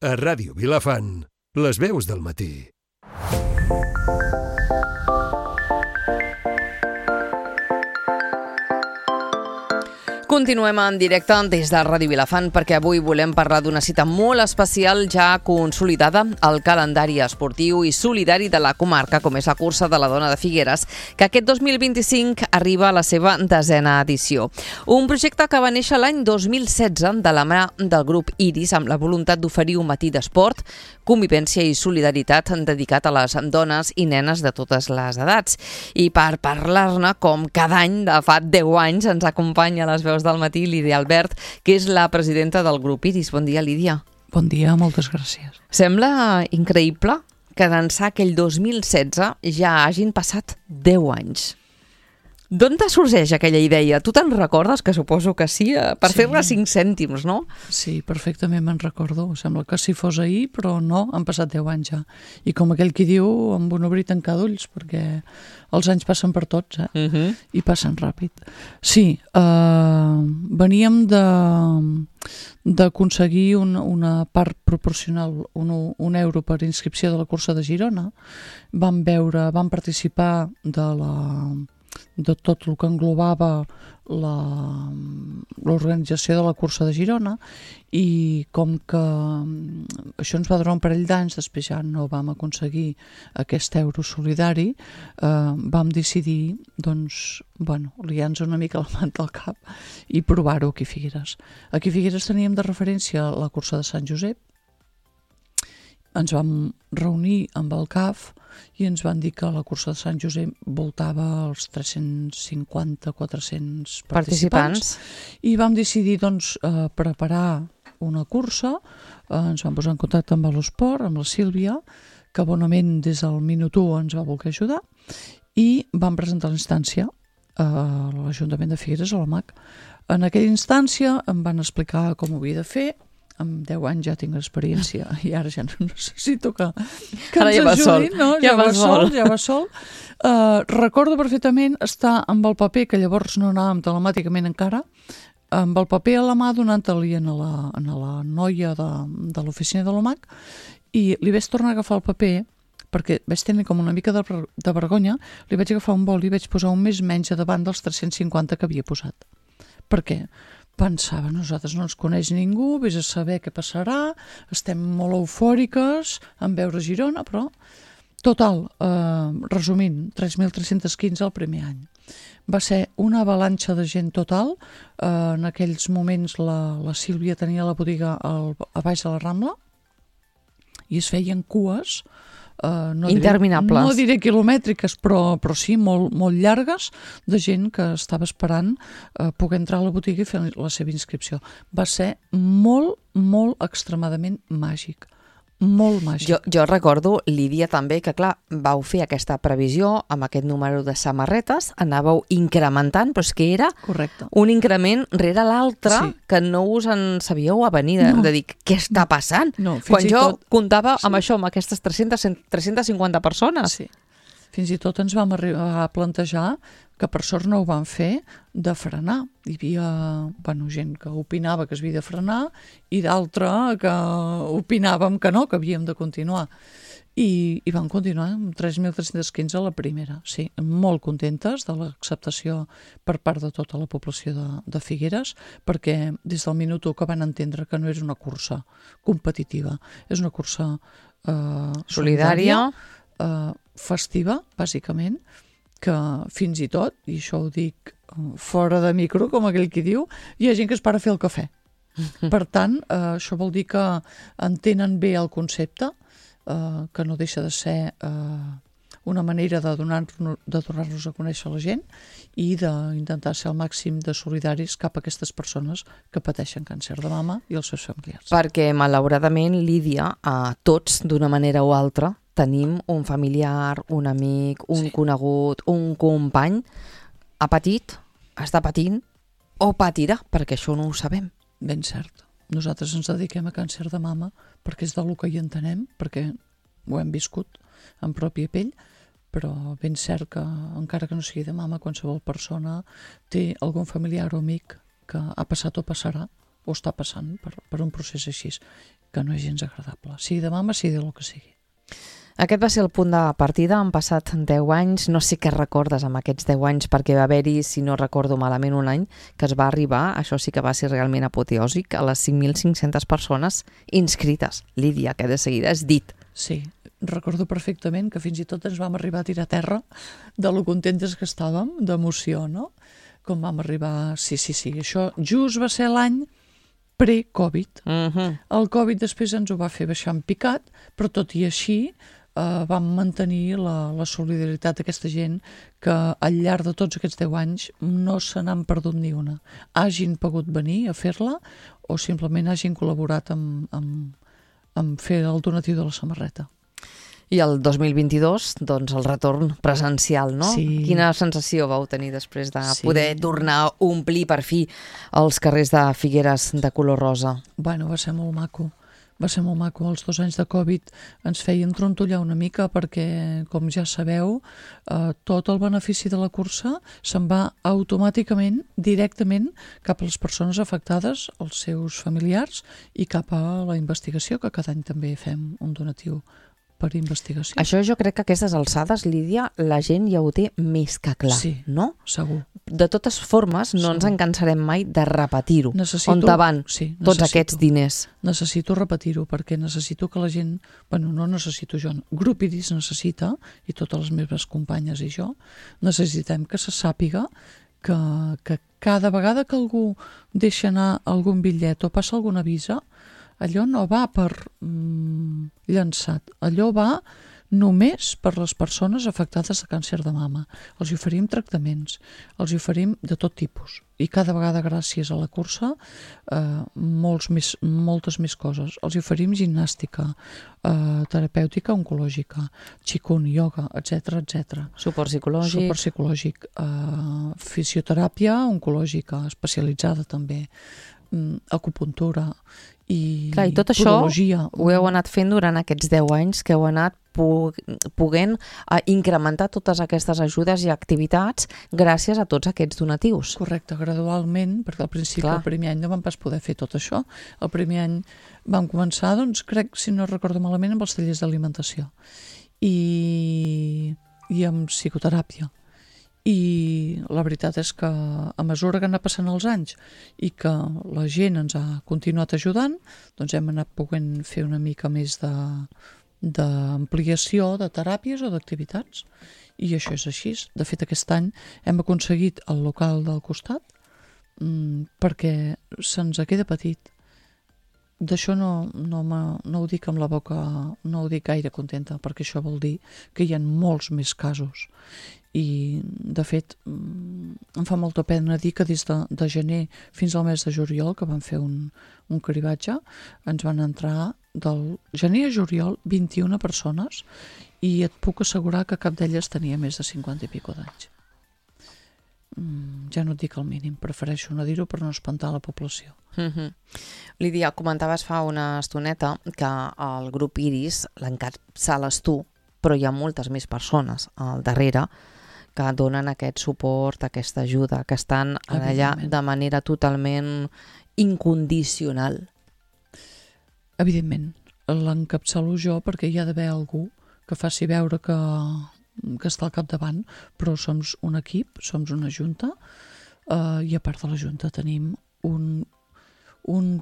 A Ràdio Vilafant, les veus del matí. Continuem en directe des de Ràdio Vilafant perquè avui volem parlar d'una cita molt especial ja consolidada al calendari esportiu i solidari de la comarca, com és la cursa de la Dona de Figueres, que aquest 2025 arriba a la seva 10a edició. Un projecte que va néixer l'any 2016 de la mà del grup Iris amb la voluntat d'oferir un matí d'esport, convivència i solidaritat dedicat a les dones i nenes de totes les edats. I per parlar-ne, com cada any de fa 10 anys, ens acompanya a les veus del matí Lídia Albert, que és la presidenta del grup Iris. Bon dia, Lídia. Bon dia, moltes gràcies. Sembla increïble que d'ençà aquell 2016 ja hagin passat 10 anys. D'on te sorgeix aquella idea? Tu te'n recordes? Que suposo que sí, per fer-ne 5 cèntims, no? Sí, perfectament me'n recordo. Sembla que si fos ahir, però no, han passat 10 anys ja. I com aquell qui diu, amb un obrir i tancar d'ulls, perquè els anys passen per tots, i passen ràpid. Sí, veníem d'aconseguir una part proporcional, un euro per inscripció de la cursa de Girona. Vam participar de tot el que englobava l'organització de la cursa de Girona, i com que això ens va durar un parell d'anys, després ja no vam aconseguir aquest euro solidari, vam decidir, doncs, liar-nos una mica la manta al cap i provar-ho aquí a Figueres. Aquí a Figueres teníem de referència la cursa de Sant Josep, ens vam reunir amb el CAF i ens van dir que la cursa de Sant Josep voltava els 350-400 participants i vam decidir preparar una cursa. Ens vam posar en contacte amb l'Esport, amb la Sílvia, que bonament des del minut 1 ens va voler ajudar, i vam presentar la instància a l'Ajuntament de Figueres, a l'OMAC. En aquella instància em van explicar com ho havia de fer. Amb 10 anys ja tinc experiència i ara ja no necessito que ens ajudin. Ja va sol. Recordo perfectament estar amb el paper, que llavors no anàvem telemàticament encara, amb el paper a la mà donant-li a la noia de l'oficina de l'OMAC, i li vaig tornar a agafar el paper perquè vaig tenir com una mica de vergonya. Li vaig agafar un boli i vaig posar un més menys a davant dels 350 que havia posat. Per què? Pensava, nosaltres no ens coneix ningú, vés a saber què passarà, estem molt eufòriques en veure Girona, però total, resumint, 3.315 el primer any. Va ser una avalanxa de gent total. En aquells moments la Sílvia tenia la botiga a baix de la Rambla i es feien cues interminables. No diré quilomètriques, però sí, molt llargues, de gent que estava esperant poder entrar a la botiga i fer la seva inscripció. Va ser molt extremadament màgic. Molt màgic. Jo recordo, Lídia, també, que clar, vau fer aquesta previsió amb aquest número de samarretes, anàveu incrementant, però és que era un increment rere l'altre, que no us en sabíeu a venir de dir què està passant. Quan jo comptava amb això, amb aquestes 350 persones. Sí. Fins i tot ens vam arribar a plantejar, que per sort no ho van fer, de frenar. Hi havia gent que opinava que es havia de frenar i d'altra que opinàvem que no, que havíem de continuar. I vam continuar amb 3.315 a la primera. Sí, molt contentes de l'acceptació per part de tota la població de Figueres, perquè des del minut 1 que van entendre que no és una cursa competitiva, és una cursa solidària, festiva, bàsicament, que fins i tot, i això ho dic fora de micro, com aquell qui diu, hi ha gent que es para a fer el cafè. Per tant, això vol dir que entenen bé el concepte, que no deixa de ser una manera de donar-nos a conèixer la gent i d'intentar ser al màxim de solidaris cap a aquestes persones que pateixen càncer de mama i els seus familiars. Perquè, malauradament, Lídia, tots, d'una manera o altra, tenim un familiar, un amic, un conegut, un company, ha patit, està patint o patirà, perquè això no ho sabem. Ben cert. Nosaltres ens dediquem a càncer de mama perquè és del que hi entenem, perquè ho hem viscut en pròpia pell, però ben cert que, encara que no sigui de mama, qualsevol persona té algun familiar o amic que ha passat o passarà o està passant per un procés així, que no és gens agradable, sigui de mama, sigui del que sigui. Aquest va ser el punt de partida, han passat 10 anys, no sé què recordes amb aquests 10 anys, perquè va haver-hi, si no recordo malament, un any que es va arribar, això sí que va ser realment apoteòsic, a les 5.500 persones inscrites. Lídia, que de seguida has dit. Sí, recordo perfectament que fins i tot ens vam arribar a tirar a terra de lo contentes que estàvem, d'emoció, no? Com vam arribar... Sí, això just va ser l'any pre-Covid. El Covid després ens ho va fer baixar en picat, però tot i així vam mantenir la solidaritat d'aquesta gent que al llarg de tots aquests 10 anys no se n'han perdut ni una. Hagin pogut venir a fer-la o simplement hagin col·laborat amb fer el donatiu de la samarreta. I el 2022, doncs, el retorn presencial, no? Sí. Quina sensació vau tenir després de poder tornar a omplir per fi els carrers de Figueres de color rosa? Bueno, va ser molt maco. Va ser molt maco. Els 2 anys de Covid ens feien trontollar una mica perquè, com ja sabeu, tot el benefici de la cursa se'n va automàticament, directament, cap a les persones afectades, als seus familiars, i cap a la investigació, que cada any també fem un donatiu per investigació. Això jo crec que a aquestes alçades, Lídia, la gent ja ho té més que clar, sí, no? Segur. De totes formes, no ens en cansarem mai de repetir-ho. On te van tots aquests diners? Necessito repetir-ho, perquè necessito que la gent... Bueno, no necessito jo, Grup Iris necessita, i totes les meves companyes i jo, necessitem que se sàpiga que cada vegada que algú deixa anar algun bitllet o passa alguna avisa, allò no va per llançat, allò va només per les persones afectades de càncer de mama. Els hi oferim tractaments, els hi oferim de tot tipus, i cada vegada gràcies a la cursa moltes més coses. Els hi oferim gimnàstica, terapèutica oncològica, qigong, ioga, etc. Suport psicològic. Fisioteràpia oncològica, especialitzada també, acupuntura i tot podologia. Això ho heu anat fent durant aquests 10 anys que heu anat poguent incrementar totes aquestes ajudes i activitats gràcies a tots aquests donatius. Correcte, gradualment, perquè al principi, el primer any no vam pas poder fer tot això. El primer any vam començar, doncs, crec, si no recordo malament, amb els tallers d'alimentació i amb psicoteràpia. I la veritat és que a mesura que han anat passant els anys i que la gent ens ha continuat ajudant, doncs hem anat poguent fer una mica més d'ampliació de teràpies o d'activitats, i això és així. De fet, aquest any hem aconseguit el local del costat perquè se'ns queda petit. D'això no ho dic amb la boca, no ho dic gaire contenta, perquè això vol dir que hi ha molts més casos. I, de fet, em fa molta pena dir que des de gener fins al mes de juliol, que vam fer un cribatge, ens van entrar del gener a juliol 21 persones, i et puc assegurar que cap d'elles tenia més de 50 i pico d'anys. Ja no et dic el mínim, prefereixo no dir-ho per no espantar la població. Lídia, comentaves fa una estoneta que el grup Iris l'encapçales tu, però hi ha moltes més persones al darrere que donen aquest suport, aquesta ajuda, que estan allà de manera totalment incondicional. Evidentment, l'encapçalo jo perquè hi ha d'haver algú que faci veure que està al capdavant, però som un equip, som una junta, i a part de la junta tenim un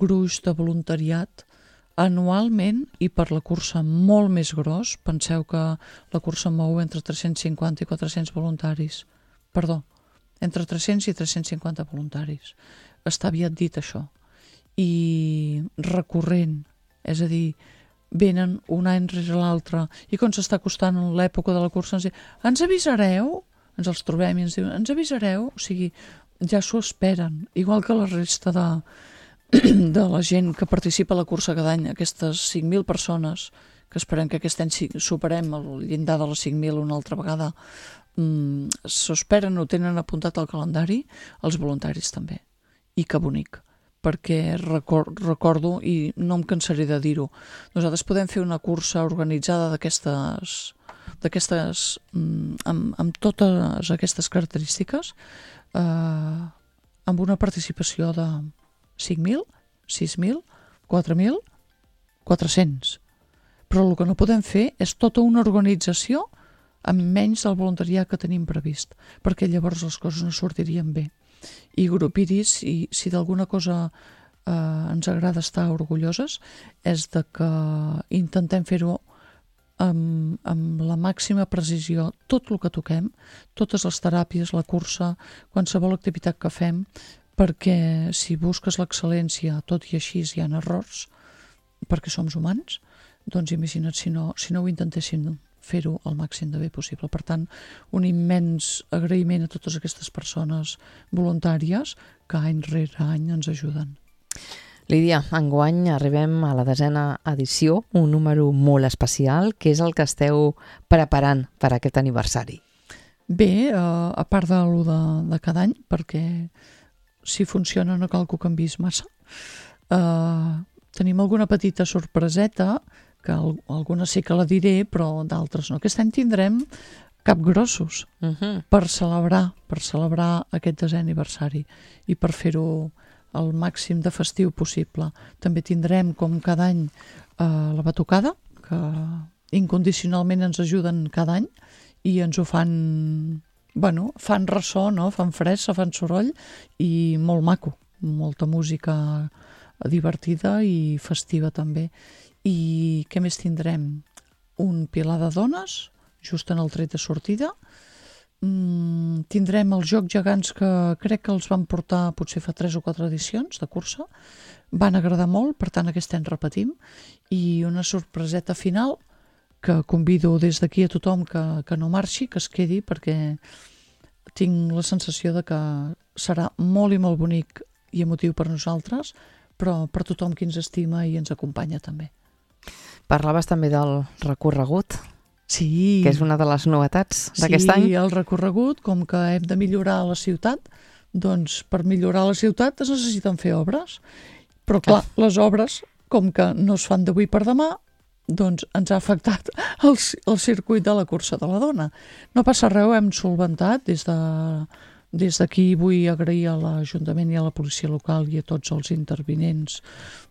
gruix de voluntariat anualment, i per la cursa molt més gros. Penseu que la cursa mou entre 350 i 400 voluntaris. Perdó, entre 300 i 350 voluntaris. Està aviat dit això. I recurrent, és a dir, venen un any rere l'altre, i quan s'està acostant l'època de la cursa ens diuen: ens avisareu? Ens els trobem i ens diuen: ens avisareu? O sigui, ja s'ho esperen, igual que la resta de la gent que participa a la cursa cada any, aquestes 5.000 persones, que esperem que aquest any superem el llindar de les 5.000 una altra vegada, s'ho esperen, ho tenen apuntat al calendari, els voluntaris també. I que bonic, perquè recordo, i no em cansaré de dir-ho, nosaltres podem fer una cursa organitzada d'aquestes amb totes aquestes característiques, amb una participació de 5.000, 6.000, 4.000, 400. Però el que no podem fer és tota una organització amb menys del voluntariat que tenim previst, perquè llavors les coses no sortirien bé. I Grup Iris, si d'alguna cosa ens agrada estar orgulloses, és de que intentem fer-ho amb la màxima precisió, tot el que toquem, totes les teràpies, la cursa, qualsevol activitat que fem, perquè si busques l'excel·lència, tot i així hi ha errors, perquè som humans, doncs imagina't si no ho intentéssim fer-ho al màxim de bé possible. Per tant, un immens agraïment a totes aquestes persones voluntàries que any rere any ens ajuden. Lídia, enguany arribem a la 10a edició, un número molt especial. Què és el que esteu preparant per aquest aniversari? Bé, a part de l'1 de cada any, perquè si funciona no cal que ho canvis massa, tenim alguna petita sorpreseta, que alguna sí que la diré, però d'altres no. Aquest any tindrem capgrossos per celebrar aquest 10è aniversari i per fer-ho el màxim de festiu possible. També tindrem, com cada any, la batucada, que incondicionalment ens ajuden cada any i ens ho fan ressò, no? Fan fressa, fan soroll i molt maco, molta música divertida i festiva també. I què més tindrem? Un pilar de dones, just en el tret de sortida. Tindrem els Jocs Gegants, que crec que els van portar potser fa 3 o 4 edicions de cursa. Van agradar molt, per tant aquest any repetim. I una sorpreseta final, que convido des d'aquí a tothom que no marxi, que es quedi, perquè tinc la sensació de que serà molt i molt bonic i emotiu per nosaltres, però per tothom qui ens estima i ens acompanya també. Parlaves també del recorregut, sí, que és una de les novetats d'aquest any. Sí, el recorregut, com que hem de millorar la ciutat, doncs per millorar la ciutat es necessiten fer obres, però clar, les obres, com que no es fan d'avui per demà, doncs ens ha afectat el circuit de la cursa de la dona. No passa res, ho hem solventat. Des d'aquí vull agrair a l'Ajuntament i a la policia local i a tots els intervinents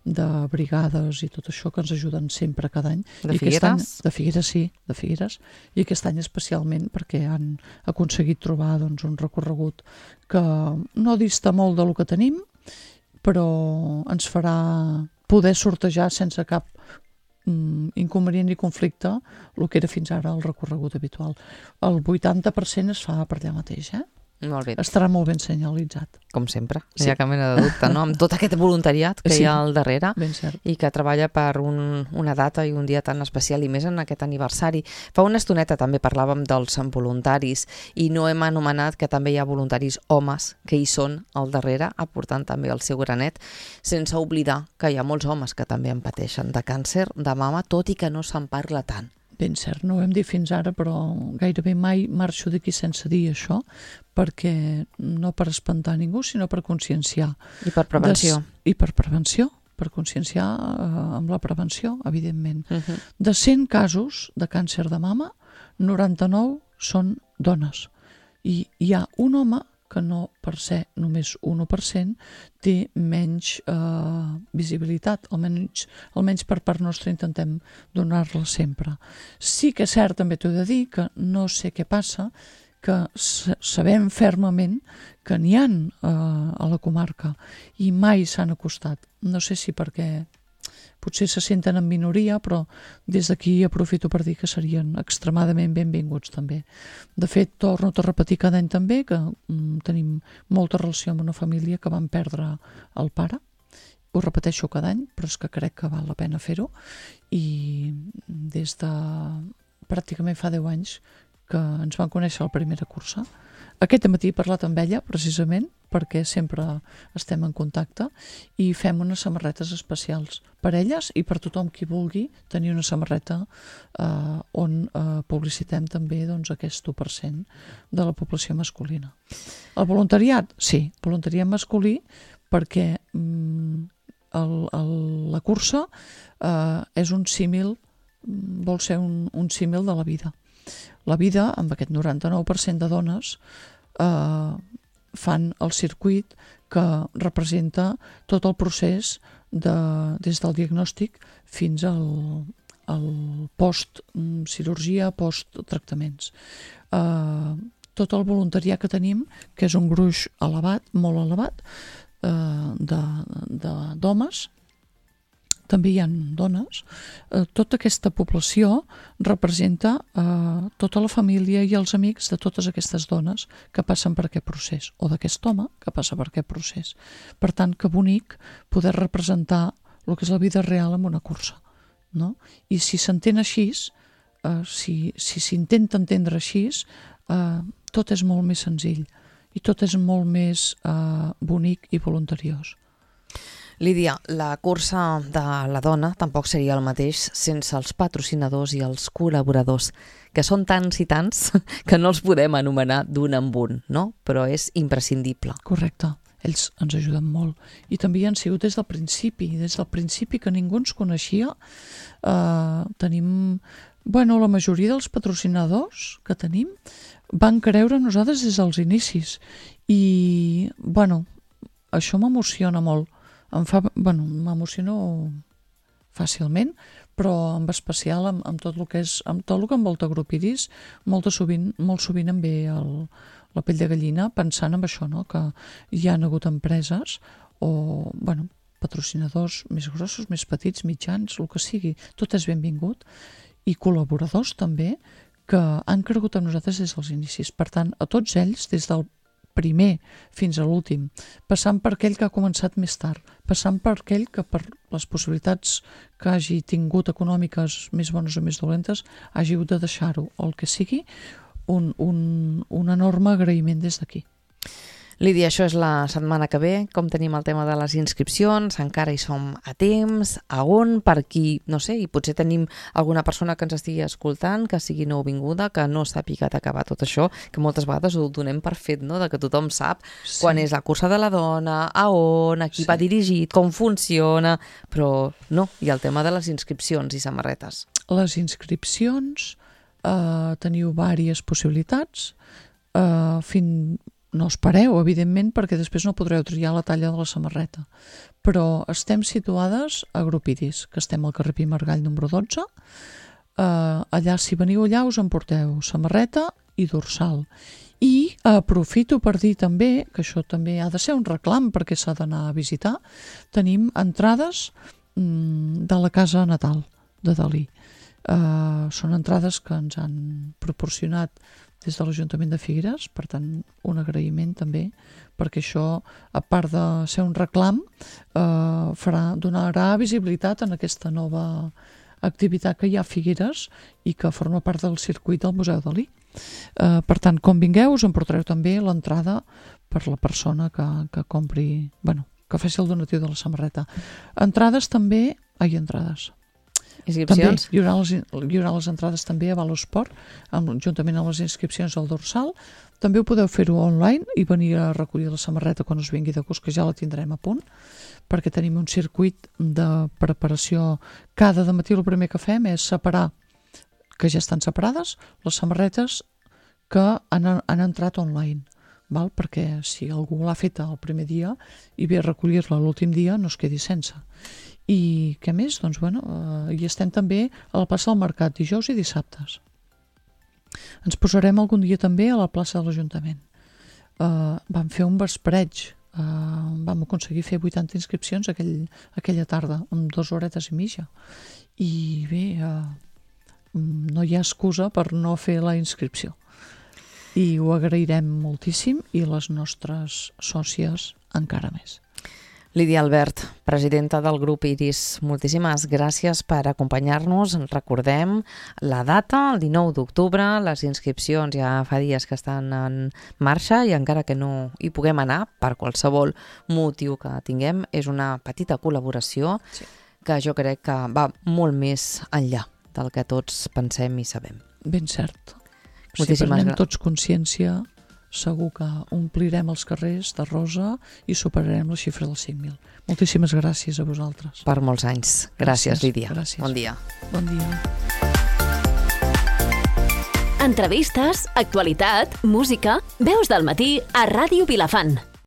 de brigades i tot això que ens ajuden sempre cada any. De Figueres? De Figueres, sí, de Figueres. I aquest any especialment perquè han aconseguit trobar un recorregut que no dista molt del que tenim, però ens farà poder sortejar sense cap inconvenient ni conflicte el que era fins ara el recorregut habitual. El 80% es fa per allà mateix, Molt bé. Estarà molt ben senyalitzat. Com sempre, sí. No hi ha cap mena de dubte, no? Amb tot aquest voluntariat que hi ha al darrere i que treballa per una data i un dia tan especial i més en aquest aniversari. Fa una estoneta també parlàvem dels voluntaris i no hem anomenat que també hi ha voluntaris homes que hi són al darrere, aportant també el seu granet, sense oblidar que hi ha molts homes que també en pateixen de càncer de mama, tot i que no se'n parla tant. Ben cert, no ho hem dit fins ara, però gairebé mai marxo d'aquí sense dir això, perquè no per espantar ningú, sinó per conscienciar. I per prevenció. I per prevenció, per conscienciar amb la prevenció, evidentment. De 100 casos de càncer de mama, 99 són dones. I hi ha un home que no per ser només 1% té menys visibilitat, almenys per part nostra intentem donar-la sempre. Sí que és cert, també t'ho he de dir, que no sé què passa, que sabem fermament que n'hi ha a la comarca i mai s'han acostat. No sé si perquè potser se senten en minoria, però des d'aquí aprofito per dir que serien extremadament benvinguts també. De fet, torno a repetir cada any també que tenim molta relació amb una família que van perdre el pare. Ho repeteixo cada any, però és que crec que val la pena fer-ho. I des de pràcticament fa 10 anys que ens van conèixer a la primera cursa. Aquest matí he parlat amb ella, precisament, perquè sempre estem en contacte i fem unes samarretes especials per elles i per tothom qui vulgui tenir una samarreta on publicitem també aquest 1% de la població masculina. El voluntariat? Sí, voluntariat masculí perquè la cursa és un símil, vol ser un símil de la vida. La vida, amb aquest 99% de dones, fan el circuit que representa tot el procés des del diagnòstic fins al post-cirurgia, post-tractaments. Tot el voluntariat que tenim, que és un gruix elevat, molt elevat, d'homes, també hi ha dones, tota aquesta població representa tota la família i els amics de totes aquestes dones que passen per aquest procés, o d'aquest home que passa per aquest procés. Per tant, que bonic poder representar el que és la vida real en una cursa, no? I si s'entén així, si s'intenta entendre així, tot és molt més senzill i tot és molt més bonic i voluntariós. Lídia, la cursa de la dona tampoc seria el mateix sense els patrocinadors i els col·laboradors, que són tants i tants que no els podem anomenar d'un en un, no? Però és imprescindible. Correcte. Ells ens ajuden molt. I també hi han sigut des del principi que ningú ens coneixia. Tenim, la majoria dels patrocinadors que tenim van creure en nosaltres des dels inicis. I, això m'emociona molt. M'emociono fàcilment, però en especial amb tot el que envolta Grup Iris, molt sovint em ve la pell de gallina pensant en això, no? Que hi ha hagut empreses o patrocinadors més grossos, més petits, mitjans, el que sigui, tot és benvingut, i col·laboradors també que han cregut en nosaltres des dels inicis. Per tant, a tots ells, des del primer fins a l'últim, passant per aquell que ha començat més tard, passant per aquell que per les possibilitats que hagi tingut econòmiques més bones o més dolentes hagi hagut de deixar-ho, o el que sigui, un enorme agraïment des d'aquí. Lídia, això és la setmana que ve. Com tenim el tema de les inscripcions? Encara hi som a temps? A on? Per qui? No sé, i potser tenim alguna persona que ens estigui escoltant, que sigui nouvinguda, que no sàpiga d'acabar tot això, que moltes vegades ho donem per fet, no? De que tothom sap quan és la cursa de la dona, a on, a qui va dirigit, com funciona, però no, hi ha el tema de les inscripcions i samarretes. Les inscripcions, teniu diverses possibilitats, no espereu, evidentment, perquè després no podreu triar la talla de la samarreta. Però estem situades a Grup Iris, que estem al carrer Pi Margall número 12. Allà, si veniu allà, us emporteu samarreta i dorsal. I aprofito per dir també, que això també ha de ser un reclam perquè s'ha d'anar a visitar, tenim entrades de la casa natal de Dalí. Són entrades que ens han proporcionat des de l'Ajuntament de Figueres, per tant, un agraïment també, perquè això, a part de ser un reclam, donarà visibilitat en aquesta nova activitat que hi ha a Figueres i que forma part del circuit del Museu Dalí. Per tant, com vingueu, us emportareu també l'entrada per la persona que compri, que faci el donatiu de la samarreta. Entrades també, Inscripcions? També hi haurà les entrades també a Valosport, juntament amb les inscripcions al dorsal. També ho podeu fer-ho online i venir a recollir la samarreta quan us vingui de gust, que ja la tindrem a punt, perquè tenim un circuit de preparació. Cada dematí el primer que fem és separar, que ja estan separades, les samarretes que han entrat online, perquè si algú l'ha feta el primer dia i ve a recollir-la l'últim dia no es quedi sense. I què més? Hi estem també a la plaça del Mercat, dijous i dissabtes. Ens posarem algun dia també a la plaça de l'Ajuntament. Vam fer un vespreig, vam aconseguir fer 80 inscripcions aquella tarda, amb 2 horetes i mitja. I bé, no hi ha excusa per no fer la inscripció. I ho agrairem moltíssim, i les nostres sòcies encara més. Lídia Albert, presidenta del Grup Iris, moltíssimes gràcies per acompanyar-nos. Recordem la data, el 19 d'octubre, les inscripcions ja fa dies que estan en marxa i encara que no hi puguem anar per qualsevol motiu que tinguem, és una petita col·laboració que jo crec que va molt més enllà del que tots pensem i sabem. Ben cert. Si prenem tots consciència, segur que omplirem els carrers de rosa i superarem la xifra dels 5.000. Moltíssimes gràcies a vosaltres. Per molts anys. Gràcies, Lídia. Gràcies. Bon dia. Bon dia. Entrevistes, actualitat, música, veus del matí a Ràdio Vilafant.